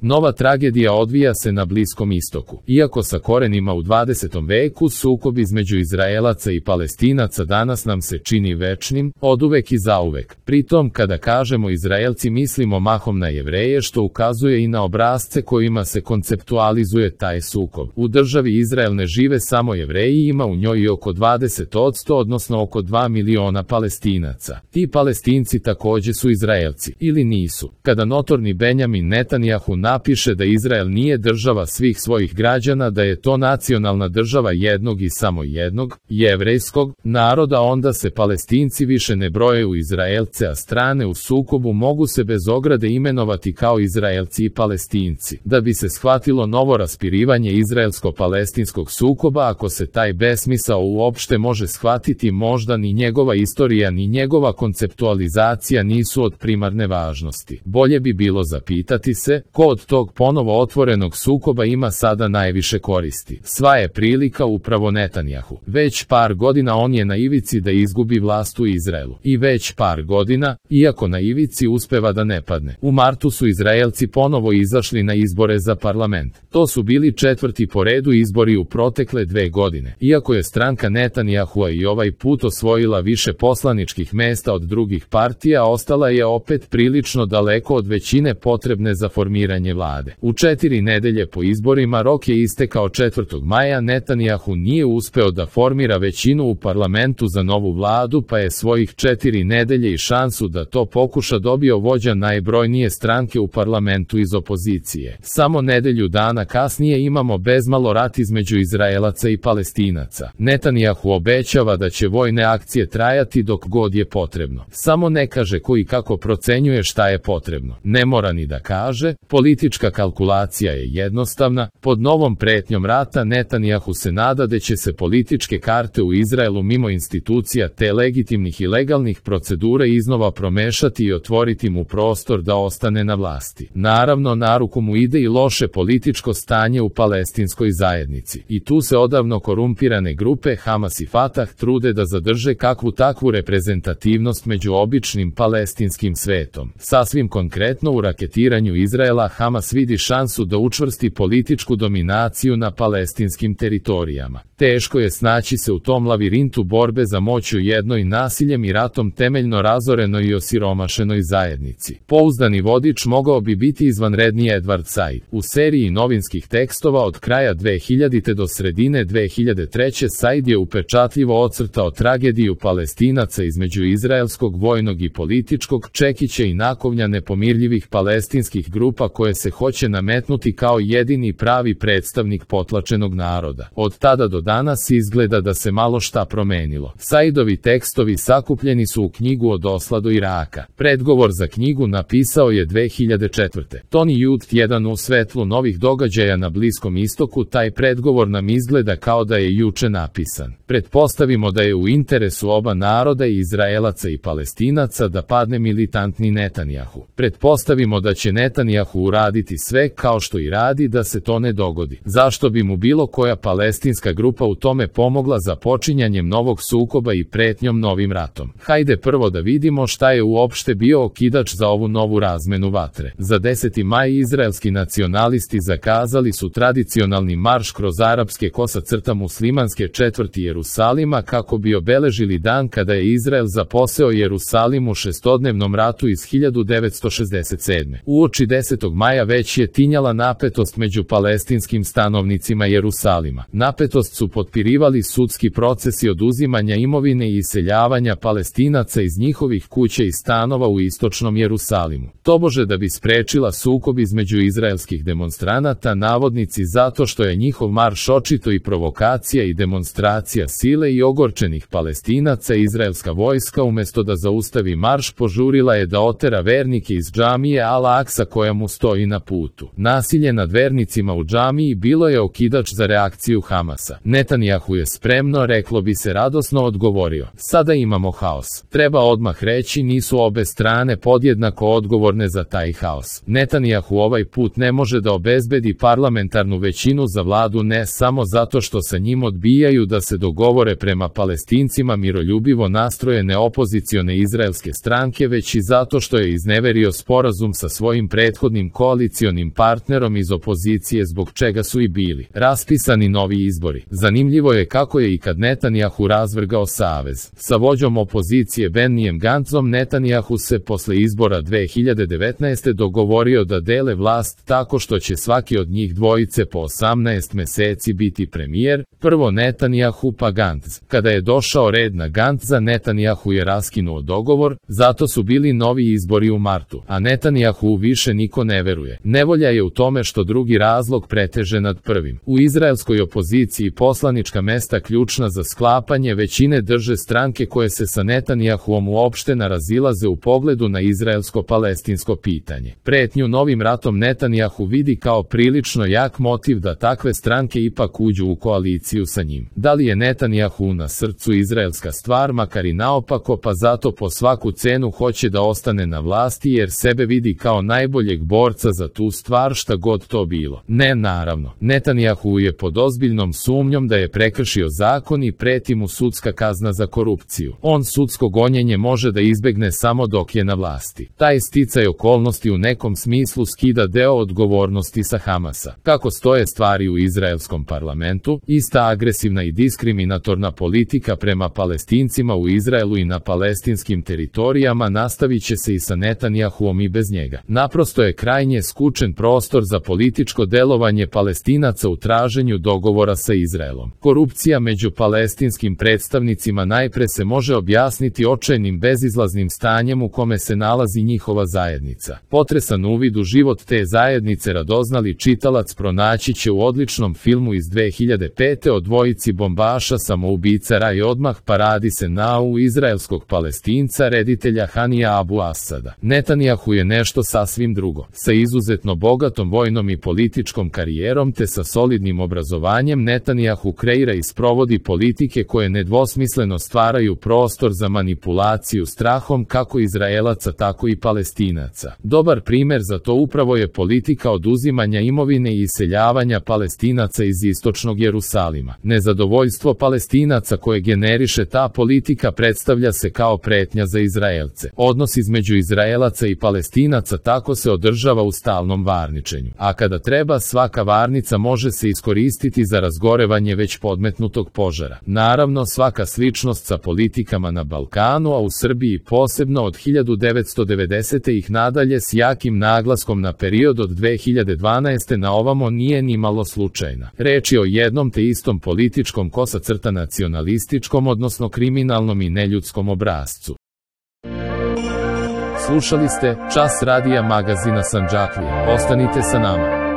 Nova tragedija odvija se na Bliskom istoku. Iako sa korenima u 20. veku, sukob između Izraelaca i Palestinaca danas nam se čini večnim, oduvek i zauvek. Pritom, kada kažemo Izraelci, mislimo mahom na Jevreje, što ukazuje i na obrasce kojima se konceptualizuje taj sukob. U državi Izrael ne žive samo Jevreji, ima u njoj i oko 20%, odnosno oko 2 miliona Palestinaca. Ti Palestinci takođe su Izraelci, ili nisu. Kada notorni Benjamin Netanjahu napiše da Izrael nije država svih svojih građana, da je to nacionalna država jednog i samo jednog, jevrejskog, naroda, onda se Palestinci više ne broje u Izraelce, a strane u sukobu mogu se bez ograde imenovati kao Izraelci i Palestinci. Da bi se shvatilo novo raspirivanje izraelsko-palestinskog sukoba, ako se taj besmisao uopšte može shvatiti, možda ni njegova istorija ni njegova konceptualizacija nisu od primarne važnosti. Bolje bi bilo zapitati se, ko od tog ponovo otvorenog sukoba ima sada najviše koristi. Sva je prilika upravo Netanjahu. Već par godina on je na ivici da izgubi vlast u Izraelu. I već par godina, iako na ivici, uspeva da ne padne. U martu su Izraelci ponovo izašli na izbore za parlament. To su bili 4. po redu izbori u protekle 2 godine. Iako je stranka Netanjahua i ovaj put osvojila više poslaničkih mesta od drugih partija, ostala je opet prilično daleko od većine potrebne za formiranje vlade. U 4 nedelje po izborima rok je istekao 4. maja, Netanjahu nije uspeo da formira većinu u parlamentu za novu vladu, pa je svojih 4 nedelje i šansu da to pokuša dobio vođa najbrojnije stranke u parlamentu iz opozicije. Samo nedelju dana kasnije imamo bezmalo rat između Izraelaca i Palestinaca. Netanjahu obećava da će vojne akcije trajati dok god je potrebno. Samo ne kaže ko i kako procenjuje šta je potrebno. Ne mora ni da kaže, politička kalkulacija je jednostavna, pod novom pretnjom rata Netanjahu se nada da će se političke karte u Izraelu mimo institucija te legitimnih i legalnih procedura iznova promešati i otvoriti mu prostor da ostane na vlasti. Naravno, na ruku mu ide i loše političko stanje u palestinskoj zajednici. I tu se odavno korumpirane grupe Hamas i Fatah trude da zadrže kakvu takvu reprezentativnost među običnim palestinskim svetom. Sasvim konkretno, u raketiranju Izraela Hamas vidi šansu da učvrsti političku dominaciju na palestinskim teritorijama. Teško je snaći se u tom lavirintu borbe za moć u jednoj nasiljem i ratom temeljno razorenoj i osiromašenoj zajednici. Pouzdani vodič mogao bi biti izvanredni Edward Said. U seriji novinskih tekstova od kraja 2000. do sredine 2003. Said je upečatljivo ocrtao tragediju Palestinaca između izraelskog vojnog i političkog čekića i nakovnja nepomirljivih palestinskih grupa koje se hoće nametnuti kao jedini pravi predstavnik potlačenog naroda. Od tada do danas izgleda da se malo šta promenilo. Saidovi tekstovi sakupljeni su u knjigu Od osla do Iraka. Predgovor za knjigu napisao je 2004. Tony Youth 1. U svetlu novih događaja na Bliskom istoku, taj predgovor nam izgleda kao da je juče napisan. Pretpostavimo da je u interesu oba naroda, i Izraelaca i Palestinaca, da padne militantni Netanjahu. Pretpostavimo da će Netanjahu uraditi sve, kao što i radi, da se to ne dogodi. Zašto bi mu bilo koja palestinska grupa u tome pomogla započinjanjem novog sukoba i pretnjom novim ratom? Hajde prvo da vidimo šta je uopšte bio okidač za ovu novu razmenu vatre. Za 10. maj izraelski nacionalisti zakazali su tradicionalni marš kroz arapske muslimanske četvrti Jerusalima kako bi obeležili dan kada je Izrael zaposeo Jerusalim u šestodnevnom ratu iz 1967. Uoči 10. maja već je tinjala napetost među palestinskim stanovnicima Jerusalima. Napetost su potpirivali sudski procesi oduzimanja imovine i iseljavanja Palestinaca iz njihovih kuća i stanova u istočnom Jerusalimu. Tobože da bi sprečila sukob između izraelskih demonstranata, navodnici zato što je njihov marš očito i provokacija i demonstracija sile i ogorčenih Palestinaca, izraelska vojska umesto da zaustavi marš požurila je da otera vernike iz džamije Al-Aksa koja mu stoji na putu. Nasilje nad vernicima u džamiji bilo je okidač za reakciju Hamasa. Netanjahu je spremno, reklo bi se radosno, odgovorio: sada imamo haos. Treba odmah reći, nisu obe strane podjednako odgovorne za taj haos. Netanjahu ovaj put ne može da obezbedi parlamentarnu većinu za vladu ne samo zato što sa njim odbijaju da se dogovore prema Palestincima miroljubivo nastrojene opozicione izraelske stranke, već i zato što je izneverio sporazum sa svojim prethodnim koalicionim partnerom iz opozicije zbog čega su i bili raspisani novi izbori. Zanimljivo je kako je i kad Netanjahu razvrgao savez sa vođom opozicije Bennijem Gantzom, Netanjahu se posle izbora 2019. dogovorio da dele vlast tako što će svaki od njih dvojice po 18 meseci biti premijer, prvo Netanjahu pa Gantz. Kada je došao red na Gantza, Netanjahu je raskinuo dogovor, zato su bili novi izbori u martu, a Netanjahu više niko ne veruje. Nevolja je u tome što drugi razlog preteže nad prvim. U izraelskoj opoziciji poslanička mesta ključna za sklapanje većine drže stranke koje se sa Netanjahuom uopšte ne razilaze u pogledu na izraelsko-palestinsko pitanje. Pretnju novim ratom Netanjahu vidi kao prilično jak motiv da takve stranke ipak uđu u koaliciju sa njim. Da li je Netanjahu na srcu izraelska stvar, makar i naopako, pa zato po svaku cenu hoće da ostane na vlasti jer sebe vidi kao najboljeg borca za tu stvar, šta god to bilo? Ne, naravno. Netanjahu je pod ozbiljnom sumnjom da je prekršio zakon i preti mu sudska kazna za korupciju. On sudsko gonjenje može da izbegne samo dok je na vlasti. Taj sticaj okolnosti u nekom smislu skida deo odgovornosti sa Hamasa. Kako stoje stvari u izraelskom parlamentu, ista agresivna i diskriminatorna politika prema Palestincima u Izraelu i na palestinskim teritorijama nastavit će se i sa Netanjahuom i bez njega. Naprosto je krajnje skučen prostor za političko delovanje Palestinaca u traženju dogovora sa Izraelom. Korupcija među palestinskim predstavnicima najpre se može objasniti očajnim bezizlaznim stanjem u kome se nalazi njihova zajednica. Potresan uvid u život te zajednice radoznali čitalac pronaći će u odličnom filmu iz 2005. o dvojici bombaša samoubica i odmah paradi se u izraelskog Palestinca reditelja Hanija Abu Asada. Netanjahu je nešto sasvim drugo. Sa izuzetno bogatom vojnom i političkom karijerom te sa solidnim obrazovanjem Netanjahu kreira i sprovodi politike koje nedvosmisleno stvaraju prostor za manipulaciju strahom kako Izraelaca tako i Palestinaca. Dobar primer za to upravo je politika oduzimanja imovine i iseljavanja Palestinaca iz istočnog Jerusalima. Nezadovoljstvo Palestinaca koje generiše ta politika predstavlja se kao pretnja za Izraelce. Odnos između Izraelaca i Palestinaca tako se održava u stalnom varničenju. A kada treba, svaka varnica može se iskoristiti za razgorevanje već podmetnutog požara. Naravno, svaka sličnost sa politikama na Balkanu, a u Srbiji posebno od 1990. ih nadalje s jakim naglaskom na period od 2012. na ovamo nije ni malo slučajna. Reč je o jednom te istom političkom kosa-crta nacionalističkom, odnosno kriminalnom i neljudskom obrascu. Slušali ste Čas radija magazina Sandžaklija. Ostanite sa nama.